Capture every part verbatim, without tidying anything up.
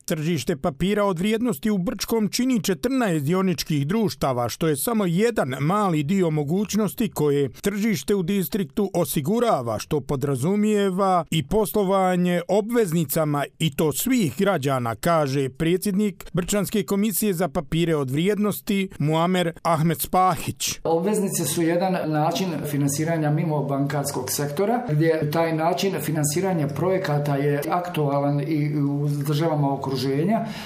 Tržište papira od vrijednosti u Brčkom čini četrnaest dioničkih društava, što je samo jedan mali dio mogućnosti koje tržište u distriktu osigurava, što podrazumijeva i poslovanje obveznicama i to svih građana, kaže predsjednik Brčanske komisije za papire od vrijednosti Muamer Ahmed Spahić. Obveznice su jedan način finansiranja mimo bankarskog sektora, gdje taj način finansiranja projekata je aktualan i u državama okruženja.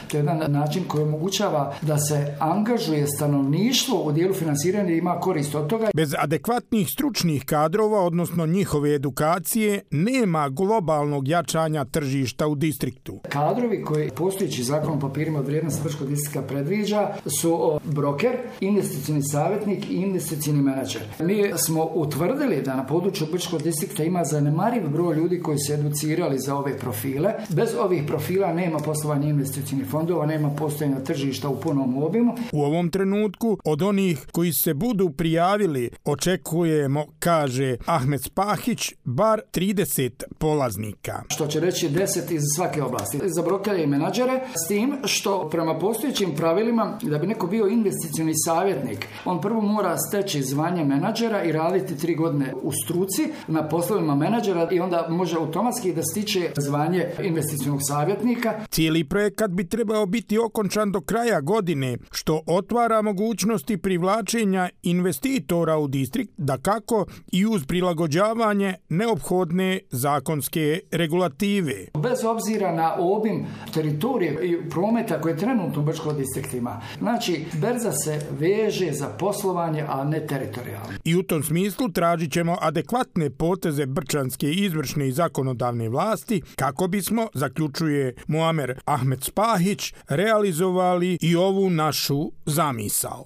To je jedan način koji omogućava da se angažuje stanovništvo u dijelu finansiranja i ima korist od toga. Bez adekvatnih stručnih kadrova, odnosno njihove edukacije, nema globalnog jačanja tržišta u distriktu. Kadrovi koji postojeći zakon o papirima od vrijednosti Brčkog distrikta predviđa su broker, investicioni savjetnik i investicioni menadžer. Mi smo utvrdili da na području Brčkog distrikta ima zanemariv broj ljudi koji se educirali za ove profile. Bez ovih profila nema poslovanja investicionih fondova, nema postojanja tržišta u punom obimu. U ovom trenutku od onih koji se budu prijavili očekujemo, kaže Ahmed Spahić, bar trideset polaznika. Što će reći deset iz svake oblasti. Za brokere i menadžere, s tim što prema postojećim pravilima da bi neko bio investicioni savjetnik, on prvo mora steći zvanje menadžera i raditi tri godine u struci na poslovima menadžera i onda može automatski da stiče zvanje investicionog savjetnika. Cijeli projekat bi trebao biti okončan do kraja godine, što otvara mogućnosti privlačenja investitora u distrikt, dakako i uz prilagođavanje neophodne zakonske regulative. Bez obzira na obim teritorije i prometa koje trenutno u Brčkom distriktu ima. Znači, berza se veže za poslovanje, a ne teritorijalno. I u tom smislu tražit ćemo adekvatne poteze brčanske izvršne i zakonodavne vlasti kako bismo, zaključuje Muamer Ahmed Spahić, realizovali i ovu našu zamisao.